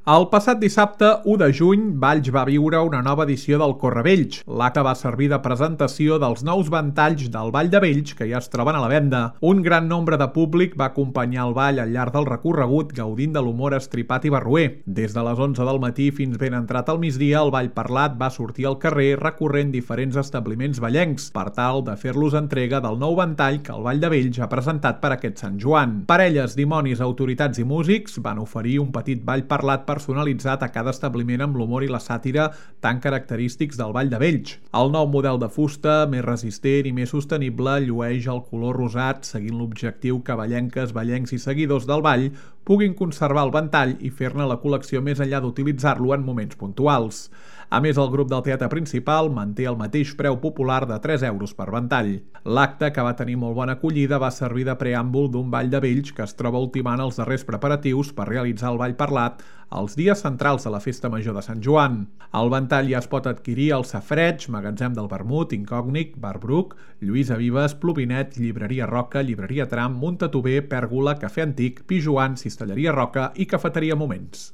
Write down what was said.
El passat dissabte, 1 de juny, Valls va viure una nova edició del Correvells. L'acte va servir de presentació dels nous ventalls del Ball de Vells que ja es troben a la venda. Un gran nombre de públic va acompanyar el ball al llarg del recorregut gaudint de l'humor estripat i barroer. Des de les 11 del matí fins ben entrat al migdia, el ball parlat va sortir al carrer recorrent diferents establiments ballencs per tal de fer-los entrega del nou ventall que el Ball de Vells ha presentat per aquest Sant Joan. Parelles, dimonis, autoritats i músics van oferir un petit ball parlat personalitzat a cada establiment amb l'humor i la sàtira tan característics del Ball de Vells. El nou model de fusta, més resistent i més sostenible, llueix el color rosat, seguint l'objectiu que ballenques, ballencs i seguidors del ball puguin conservar el ventall i fer-ne la col·lecció més enllà d'utilitzar-lo en moments puntuals. A més, el grup del teatre principal manté el mateix preu popular de 3 euros per ventall. L'acte, que va tenir molt bona acollida, va servir de preàmbul d'un Ball de Vells que es troba ultimant els darrers preparatius per realitzar el ball parlat els dies centrals de la Festa Major de Sant Joan. El ventall ja es pot adquirir al Safareig, Magatzem del Vermut, Incògnit, Bar Bruc, Lluïsa Vives, Plovinet, Llibreria Roca, Llibreria Tram, Muntatover, Pèrgola, Cafè Antic, Pijoan, Cistelleria Roca i Cafeteria Moments.